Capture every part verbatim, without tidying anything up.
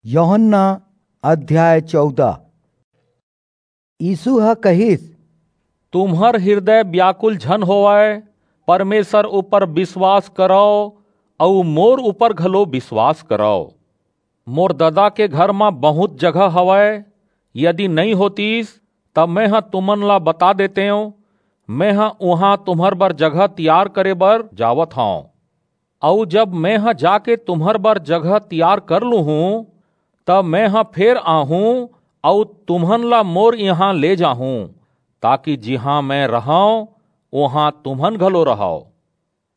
यूहन्ना अध्याय चौदह। यीसू ह कहिस, तुम्हर हिरदय ब्याकुल झन होवय, परमेसर ऊपर बिसवास करव अऊ मोर ऊपर घलो बिसवास करव। मोर ददा के घर म बहुंत जगह हवय, यदि नइं होतिस, त मेंह तुमन ला बता देतेंव। मेंह उहां तुम्हर बर जगह तियार करे बर जावत हंव। अऊ जब मेंह जाके तुम्हर बर जगह तियार कर लूहूं, त मेंह फेर आहूं अऊ तुम्हन ला मोर इहां ले जाहूं, ताकि जिहां में रहंव, उहां तुम्हन घलो रहव।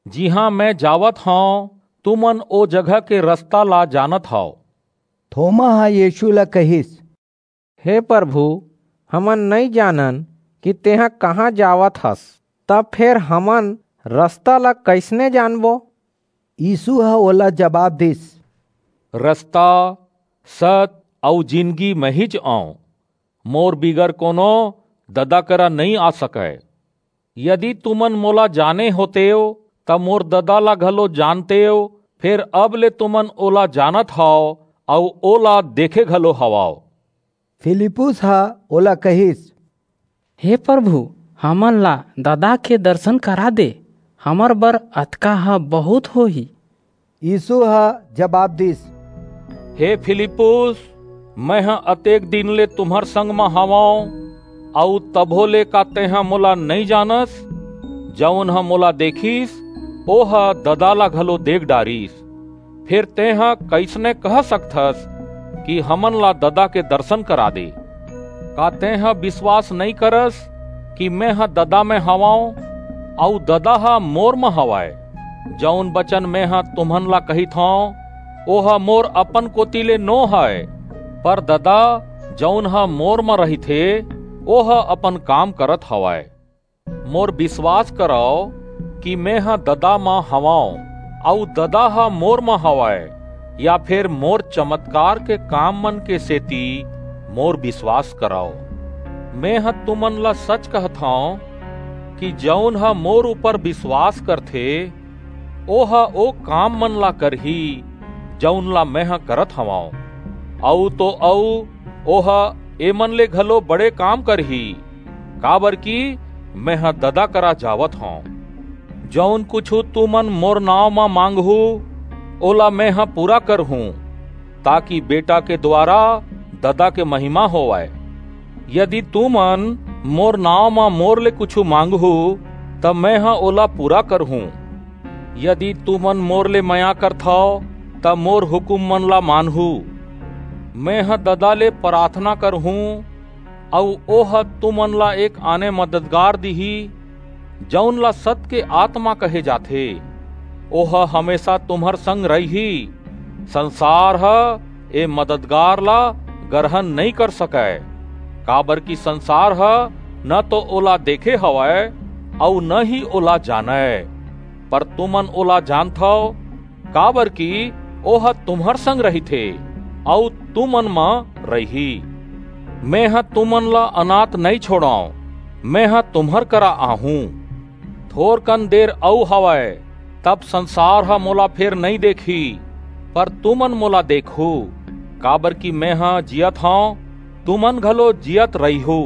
जिहां में जावत हंव, तुमन ओ जगह के रसता ला जानत हव। थोमा ह यीसू ला कहिस, हे परभू, हमन नइं जानन कि तेंह कहां जावत हस, त फेर हमन रसता ला कइसने जानबो? यीसू ह ओला जबाब दीस, रसता, सत अऊ जिनगी महिंच अंव। मोर बिगर कोनो ददा करा नइं आ सकय। यदि तुमन मोला जाने होतेव, त मोर ददा ला घलो जानतेव, फेर अब ले तुमन ओला जानत हव अऊ ओला देखे घलो हवव। फिलिप्पुस ह ओला कहिस, हे परभू, हमन ला ददा के दरसन करा दे, हमर बर अतका ह बहुंत होही। यीसू ह जबाब दीस, हे फिलिप्पुस, मेंह अतेक दिन ले तुम्हर संग म हवंव, अऊ तभो ले का तेंह मोला नइं जानस? जऊन ह मोला देखिस, ओह ददा ला घलो देख डारिस। फेर तेंह कइसने कह सकथस कि हमन ला ददा के दरसन करा दे? का तेंह बिसवास नइं करस कि मेंह ददा में हवंव, अऊ ददा ह मोर म हवय? जऊन बचन मेंह तुमन ला कहिथंव, ओह मोर अपन कोति ले नो हय, पर ददा, जऊन ह मोर म रहिथे, ओह अपन काम करत हवय। मोर बिसवास करव कि मेंह ददा म हवंव, अऊ ददा ह मोर म हवय, या फेर मोर चमतकार के काममन के सेति मोर बिसवास करव। मेंह तुमन ला सच कहथंव कि जऊन ह मोर ऊपर बिसवास करथे, ओह ओ काममन ला करही, जऊन ला मेंह करत हवंव। अऊ तो अऊ, ओह एमन ले घलो बड़े काम करही, काबरकि मेंह ददा करा जावत हंव। जऊन कुछू तुमन मोर नांव म मांगहू, ओला मेंह पूरा करहूं, ताकि बेटा के दुवारा ददा के महिमा होवय। यदि तुमन मोर नांव म मोर ले कुछू मांगहू, त मेंह ओला पूरा करहूं। यदि तुमन मोर ले मया करथव, त मोर हुकूममन ला मानहू। मेंह ददा ले पराथना करहूं, अऊ ओह तुमन ला एक आने मददगार दिही, जऊन ला सत के आतमा कहे जाथे। ओह हमेसा तुम्हर संग रहिही। संसार ह ए मददगार ला गरहन नइं कर सकय, काबरकि संसार ह न तो ओला देखे हवय, अऊ न ही ओला जानय। पर तुमन ओला जानथव, काबरकि ओह तुम्हर संग रहिथे, अऊ तुमन म रहिही। मेंह तुमन ला अनाथ नइं छोंड़ंव, मेंह तुम्हर करा आहूं। थोरकन देर अऊ हवय, तब संसार ह मोला फेर नइं देखही, पर तुमन मोला देखहू, काबरकि मेंह जीयत हंव, तुमन घलो जीयत रहिहू।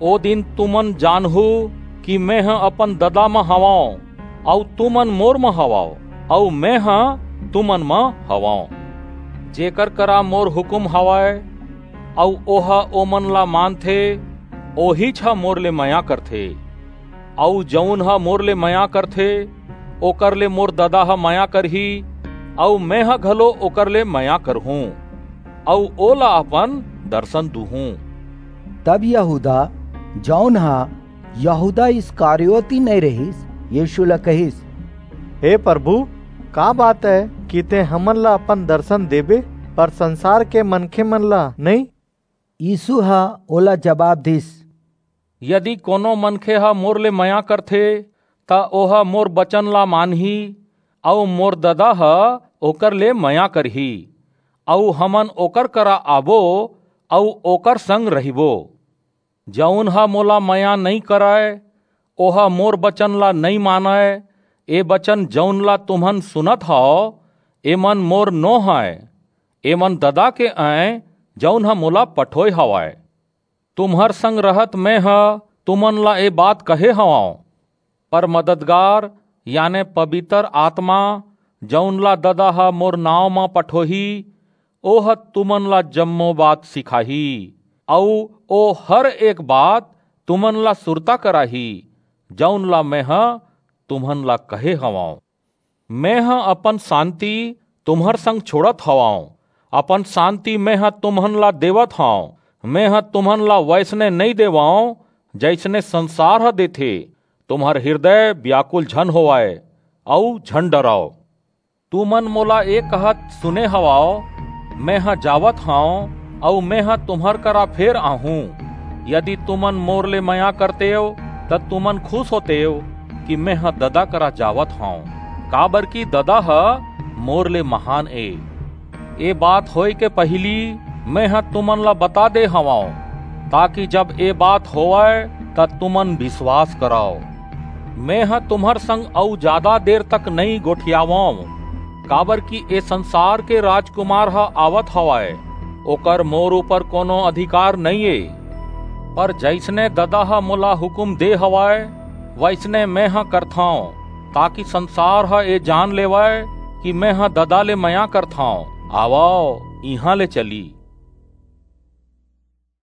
ओ दिन तुमन जानहू कि मेंह अपन ददा म हवंव, अऊ तुमन मोर म हवव, अऊ मेंह तुमन म हवंव। जेकर करा मोर हुकूम हवय, अऊ ओह ओमन ला मानथे, ओहीच ह मोर ले मया करथे। अऊ जऊन ह मोर ले मया करथे, ओकर ले मोर ददा ह मया करही, अऊ मेंह घलो ओकर ले मया करहूं, अऊ ओला अपन दरसन दूहूं। तब यहूदा, जऊन ह यहूदा इस्करियोती नइं रिहिस, यीसू ला कहिस, हे परभू, का बात अय कि तें हमन ला अपन दरसन देबे, पर संसार के मनखेमन ला नइं? यीसू ह ओला जबाब दीस, यदि कोनो मनखे ह मोर ले मया करथे, त ओह मोर बचन ला मानही, अऊ मोर ददा ह ओकर ले मया करही, अऊ हमन ओकर करा आबो, अऊ ओकर संग रहिबो। जऊन ह मोला मया नइं करय, ओह मोर बचन ला नइं मानय। ए बचन, जऊन ला तुमन सुनत हव, एमन मोर नो हंय, एमन ददा के अंय, जऊन ह मोला पठोय हवय। तुम्हर संग रहत मेंह तुमन ला ए बात कहे हवंव, पर मददगार, याने पबितर आतमा, जऊन ला ददा ह मोर नांव म पठोही, ओह तुमन ला जम्मो बात सिखाही, अऊ ओ हर एक बात तुमन ला सुरता कराही, जऊन ला मेंह तुमन ला कहे हवंव। मेंह अपन सांति तुम्हर संग छोड़त हवंव, अपन सांति मेंह तुमन ला देवत हंव। मेंह तुमन ला वइसने नइं देवंव, जइसने संसार ह देथे। तुम्हर हिरदय बियाकुल झन होवय, अऊ झन डरव। तुमन मोला ए कहत सुने हवव, मेंह जावत हंव, अऊ मेंह तुम्हर करा फेर आहूं। यदि तुमन मोर ले मया करतेव, त तुमन खुस होतेव कि मेंह ददा करा जावत हंव, काबरकि ददा ह मोर ले महान ए। ए बात होय के पहिली मेंह तुमन ला बता दे हवंव, ताकि जब ए बात होवय, त तुमन बिसवास करव। मेंह तुम्हर संग अऊ जादा देर तक नइं गोठियावंव, काबरकि ए संसार के राजकुमार ह आवत हवय, ओकर मोर ऊपर कोनो अधिकार नइं ए। पर जइसने ददा ह मोला हुकूम दे हवय, वइसने मेंह करथंव, ताकि संसार ह ए जान लेवय कि मेंह ददा ले मया करथंव। आवव, इहां ले चली।